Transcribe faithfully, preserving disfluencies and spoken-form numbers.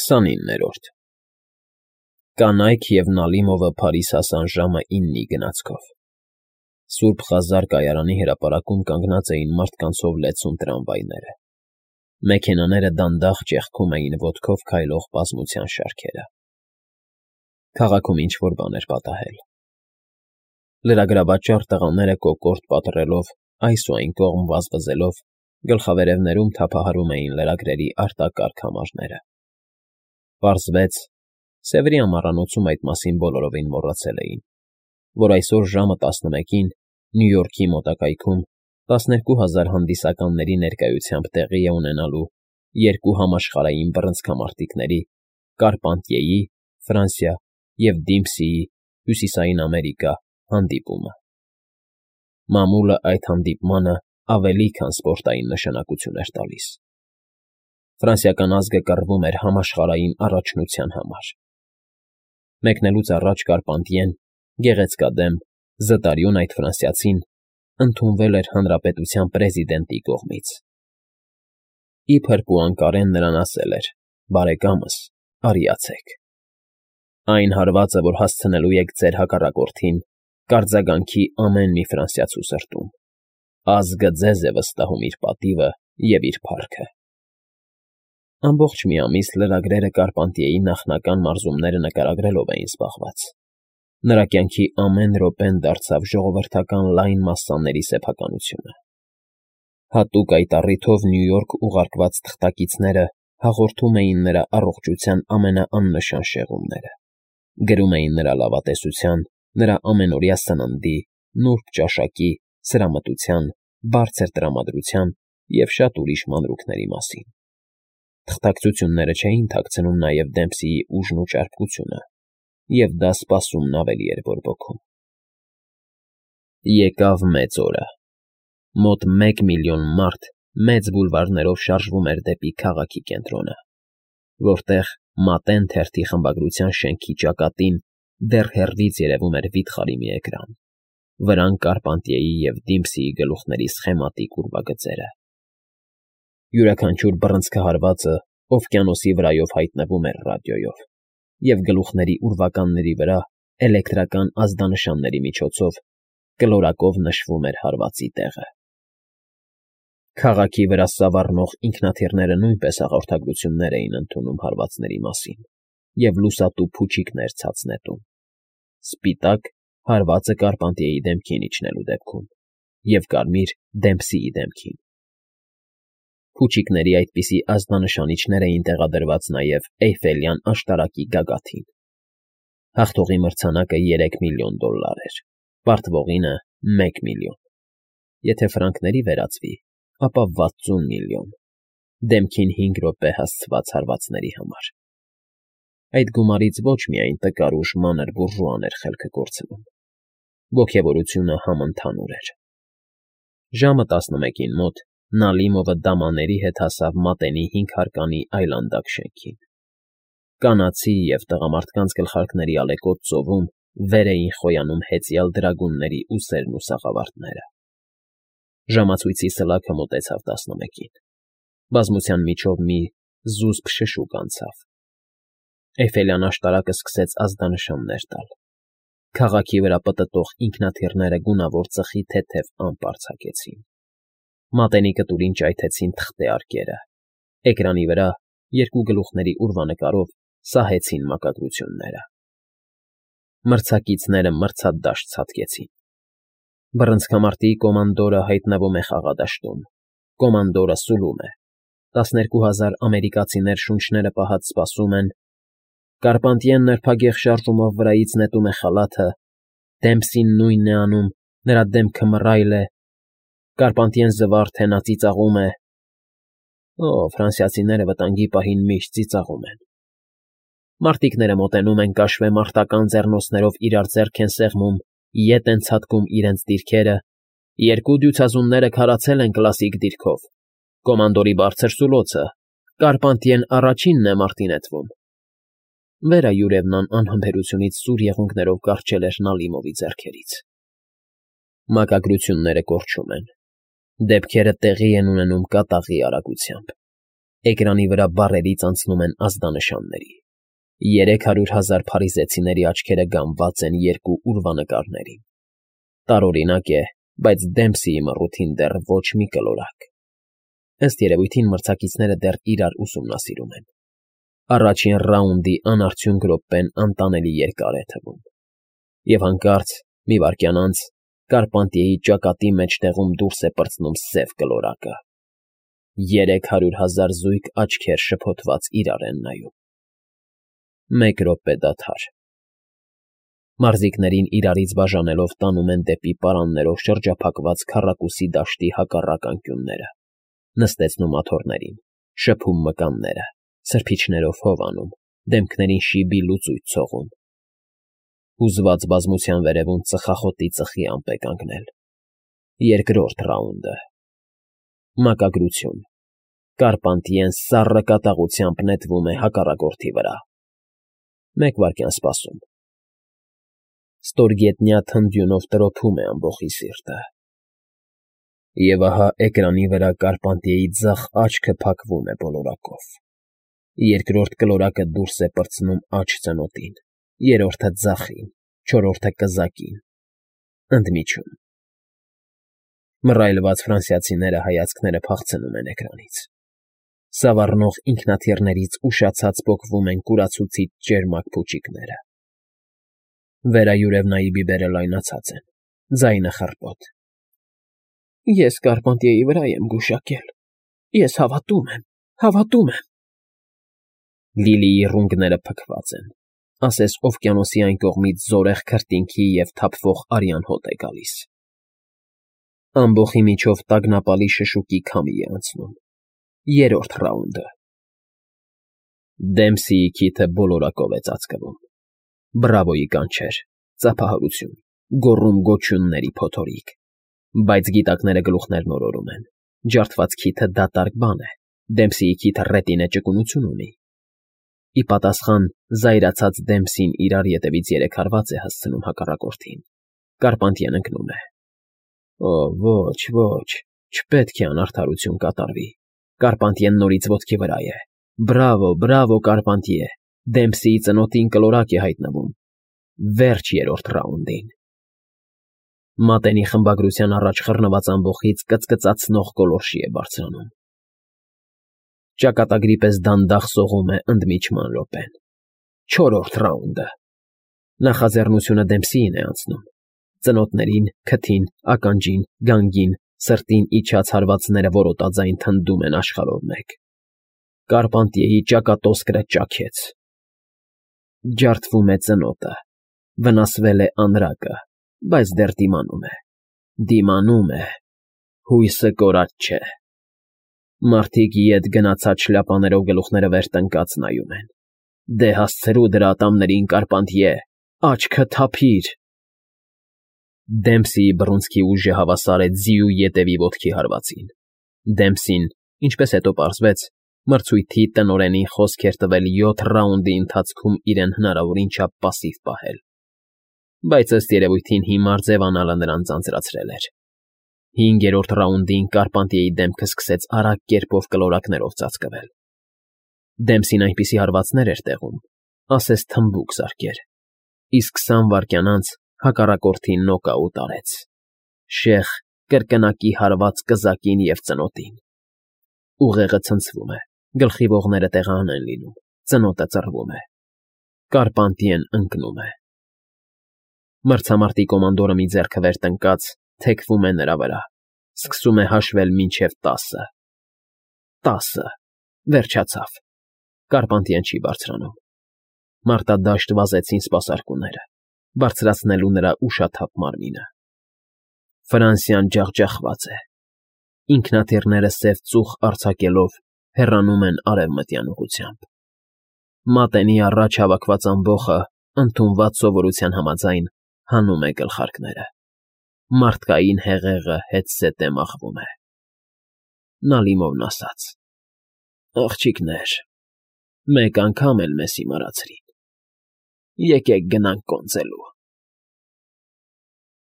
քսանիններորդ Կանայք և Նալիմովը Փարիզ հասան ժամը իննի գնացքով։ Սուրբ Խազար կայարանի հրապարակում կանգնած էին մարդկանցով լեցուն տրամվայները։ Մեքենաները դանդաղ ճեղքում էին ոտքով քայլող բազմության շարքերը։ Քաղաքում ինչ֊որ բան էր պատահել։ Լրագրավաճառ տղաները կոկորդ պատռելով, այս ու այն կողմ վազվզելով, գլխավերևներում թափահարում էին լրագրերի արտակարգ համարները։ Պարզվեց, Սևրի ամառանոցում այդ մասին բոլորովին մոռացել էին, որ այսօր ժամը տասնմեկին Նյու Յորքի մոտակայքում տասներկու հազար հանդիսականների ներկայությամբ տեղի է ունենալու երկու համաշխարհային բռնցքամարտիկների՝ Կարպանտիեի (Ֆրանսիա) և Դիմփսիի (Հյուսիսային Ամերիկա) հանդիպումը։ Մամուլը այդ հանդիպմանը ավելի քան սպորտային նշանակություն էր տալիս։ Ֆրանսիական ազգը կռվում էր համաշխարհային առաջնության համար։ Մեկնելուց առաջ Կարպանտիեն, գեղեցկադեմ, զտարյուն այդ ֆրանսիացին, ընդունվել էր հանրապետության պրեզիդենտի կողմից։ Իբր Պուանկարեն նրան ասել էր. «Բարեկամս, արիացեք։ Այն հարվածը, որ հասցնելու եք ձեր հակառակորդին, կարձագանքի ամեն մի ֆրանսիացու սրտում։ Ազգը ձեզ է վստահում իր պատիվը և իր փառքը»։ Ամբողջ մի ամիս լրագրերը Կարպանտիեի նախնական մարզումները նկարագրելով էին զբաղված։ Նրա կյանքի ամեն րոպեն դարձավ ժողովրդական լայն մասսաների սեփականությունը։ Հատուկ այդ առիթով Նյու Յորք ուղարկված թղթակիցները հաղորդում էին նրա առողջության ամենաաննշան շեղումները, գրում էին նրա լավատեսության, նրա ամենօրյա սննդի, նուրբ ճաշակի, սրամտության, բարձր տրամադրության և շատ ուրիշ մանրուքների մասին։ Թղթակցությունները չէին թաքցնում նաև Դեմփսիի ուժն ու ճարպկությունը, և դա սպասումն ավելի էր բորբոքում։ Եկավ մեծ օրը։ Մոտ մեկ միլիոն մարդ մեծ բուլվարներով շարժվում էր դեպի քաղաքի կենտրոնը, որտեղ Մատեն թերթի խմբագրության շենքի ճակատին դեռ հեռվից երևում էր վիթխարի մի էկրան, վրան Կարպանտիեի և Դիմփսիի գլուխների սխեմատիկ ուրվագծերը։ Յուրաքանչյուր բռնցքահարվածը օվկիանոսի վրայով հայտնվում էր ռադիոյով, և գլուխների ուրվականների վրա էլեկտրական ազդանշանների միջոցով կլորակով նշվում էր հարվածի տեղը։ Քաղաքի վրա սավառնող ինքնաթիռները նույնպես հաղորդագրություններ էին ընդունում հարվածների մասին և լուսատու փուչիկներ ցած նետում։ Սպիտակ՝ հարվածը Կարպանտիեի դեմքին իջնելու դեպքում, և կարմիր՝ Դեմփսիի դեմքին։ Փուչիկների այդպիսի ազդանշանիչներ էին տեղադրված նաև Էյֆելյան աշտարակի գագաթին։ Հաղթողի մրցանակը երեք միլիոն դոլլար էր, պարտվողինը՝ մեկ միլիոն։ Եթե ֆրանկների վերածվի, ապա վաթսուն միլիոն, դեմքին հինգ րոպե հասցված հարվածների համար։ Այդ գումարից ոչ միայն տկար ու ժմանր բուրժուան էր խելքը կորցնում, ոգևորությունը համընդհանուր էր։ Ժամը տասնմեկին մոտ Նալիմովը դամաների հետ հասավ Մատենի հինգհարկանի այլանդակ շենքին։ Կանացի և տղամարդկանց գլխարկների ալեկոծ ծովում վեր էին խոյանում հեծյալ դրագունների ուսերն ու սաղավարտները։ Ժամացույցի սլաքը մոտեցավ տասնմեկին։ Բազմության միջով մի զուսպ շշուկ անցավ։ Էյֆելյան աշտարակը սկսեց ազդանշաններ տալ։ Քաղաքի վրա պտտող ինքնաթիռները գունավոր ծխի թեթև ամպ արձակեցին։ Մատենի կտուրին ճայթեցին թղթե արկերը։ Էկրանի վրա երկու գլուխների ուրվանկարով սահեցին մակագրությունները։ Մրցակիցները մրցադաշտ ցատկեցին։ Բռնցքամարտի կոմանդորը հայտնվում է խաղադաշտում, կոմանդորը սուլում է, տասներկու հազար ամերիկացիներ շունչները պահած սպասում են, Կարպանտիեն նրբագեղ շարժումով վրայից նետում է խալաթը, Դեմփսին նույնն է անում, նրա դեմքը մռայլ է, Կարպանտիեն զվարթ է, նա ծիծաղում է։ Օ, ֆրանսիացիները վտանգի պահին միշտ ծիծաղում են։ Մարտիկները մոտենում են կաշվե մարտական ձեռնոցներով իրար ձեռք են սեղմում, ետ են ցատկում իրենց դիրքերը, երկու դյուցազունները քարացել են կլասիկ դիրքով, կոմանդորի բարձր սուլոցը, Կարպանտիեն առաջինն է մարտի նետվում։ Վերա Յուրևնան անհամբերությունից սուր եղունգներով կառչել էր Նալիմովի ձեռքերից։ Մակագրությունները կորչում են, դեպքերը տեղի են ունենում կատաղի արագությամբ։ Էկրանի վրա բառերից անցնում են ազդանշանների։ Երեք հարյուր հազար փարիզեցիների աչքերը գամված են երկու ուրվանկարներին։ Տարօրինակ է, բայց Դեմփսիի մռութին դեռ ոչ մի կլորակ։ Ըստ երևույթին մրցակիցները դեռ իրար ուսումնասիրում են։ Առաջին ռաունդի անարդյունք րոպեն անտանելի երկար է թվում։ Եվ հանկարծ, մի վայրկյան անց, Կարպանտիեի ճակատի մեջտեղում դուրս է պրծնում սև կլորակը։ Երեք հարյուր հազար զույգ աչքեր շփոթված իրար են նայում։ Մեկ րոպե դադար։ Մարզիկներին իրարից բաժանելով տանում են դեպի պարաններով շրջափակված քառակուսի դաշտի հակառակ անկյունները, նստեցնում աթոռներին, շփում մկանները, սրբիչներով հով անում, դեմքներին շիբի լուծույթ ցողում։ Հուզված բազմության վերևում ծխախոտի ծխի ամպ է կանգնել։ Երկրորդ ռաունդը։ Մակագրություն։ Կարպանտիեն սառը կատաղությամբ նետվում է հակառակորդի վրա։ Մեկ վայրկյան սպասում։ Ստորգետնյա թնդյունով տրոփում է ամբոխի սիրտը։ Եվ ահա էկրանի վրա Կարպանտիեի ձախ աչքը փակվում է բոլորակով։ Երկրորդ կլորակը դուրս է պրծնում աջ ծնոտին, երրորդը ձախին, չորրորդը կզակին, ընդմիջում։ Մռայլված ֆրանսիացիները հայացքները փախցնում են էկրանից։ Սավառնող ինքնաթիռներից ուշացած պոկվում են կուրացուցիչ ճերմակ փուչիկները։ Վերայուրևնայի բիբերը լայնացած են, ձայնը խռպոտ։ Ես Կարպանտիեի վրա եմ գուշակել։ Ես հավատում եմ, հավատում եմ։ Լիլիի ռունգները փքված են, ասես օվկիանոսի այն կողմից զորեղ քրտինքի և թափվող արյան հոտ է գալիս։ Ամբոխի միջով տագնապալի շշուկի քամի է անցնում։ Երրորդ ռաունդը։ Դեմփսիի քիթը բոլորակով է ծածկվում։ Բրավոյի կանչեր, ծափահարություն, գոռում֊գոչյունների փոթորիկ։ Բայց գիտակները գլուխներն օրորում են։ Ջարդված քիթը դատարկ բան է, Դեմփսիի քիթը ռետինե ճկունություն ունի։ Ի պատասխան զայրացած Դեմփսին իրար ետևից երեք հարված է հասցնում հակառակորդին։ Կարպանտիեն ընկնում է։ Օ, ոչ, ոչ, չպետք է անարդարություն կատարվի։ Կարպանտիեն նորից ոտքի վրա է։ Բրավո, բրավո, Կարպանտիե։ Դեմփսիի ծնոտին կլորակ է հայտնվում։ Վերջ երրորդ ռաունդին։ Մատենի խմբագրության առաջ խռնված ամբոխից կծկծացնող գոլորշի է բարձրանում։ Ճակատագրի պես դանդաղ սողում է ընդմիջման րոպեն։ Չորրորդ ռաունդը։ Նախաձեռնությունը Դեմփսիին է անցնում։ Ծնոտներին, քթին, ականջին, գանգին, սրտին իջած հարվածները որոտաձայն թնդում են աշխարհով մեկ։ Կարպանտիեի ճակատոսկրը ճաքեց։ Ջարդվում է ծնոտը, վնասվել է անրակը, բայց դեռ դիմանում է, դիմանում է, հույսը կորած չէ։ Մարդիկ ետ գնացած շլապաներով գլուխները վեր տնկած նայում են։ Դե հասցրու դրա ատամներին, Կարպանտիե, աչքը թափիր։ Դեմփսիի բռունցքի ուժը հավասար է ձիու ետևի ոտքի հարվածին։ Դեմփսին, ինչպես հետո պարզվեց, մրցույթի տնօրենին խոսք էր տվել յոթ ռաունդի ընթացքում իրեն հնարավորին չափ պասիվ պահել։ Բայց ըստ երևույթին հիմար ձևանալը նրան ձանձրացրել էր։ Հինգերորդ ռաունդին Կարպանտիեի դեմքը սկսեց արագ կերպով կլորակներով ծածկվել։ Դեմփսին այնպիսի հարվածներ էր տեղում, ասես թմբուկ զարկեր, իսկ քսան վայրկյան անց հակառակորդին նոկաուտ արեց։ Շեղ, կրկնակի հարված կզակին և ծնոտին։ Ուղեղը ցնցվում է, գլխի ողները տեղահան են լինում, ծնոտը ծռվում է։ Կարպանտիեն ընկնում է։ Մրցամարտի կոմանդորը մի ձեռքը վեր տնկած թեքվում է նրա վրա, սկսում է հաշվել մինչև տասը։ Տասը, վերջացավ։ Կարպանտիեն չի բարձրանում։ Մարտադաշտ վազեցին սպասարկուները, բարձրացնելու նրա ուշաթափ մարմինը։ Ֆրանսիան ջախջախված է։ Ինքնաթիռները սև ծուխ արձակելով հեռանում են արևմտյան ուղղությամբ։ Մատենի առաջ հավաքված ամբոխը, ընդունված սովորության համաձայն, հանում է գլխարկները։ Մարդկային հեղեղը հետզհետե մաղվում է։ Նա լիմովն ասաց. Աղջիկներ, մեկ անգամ էլ մեզ հիմարացրին։ Եկեք գնանք կոնծելու։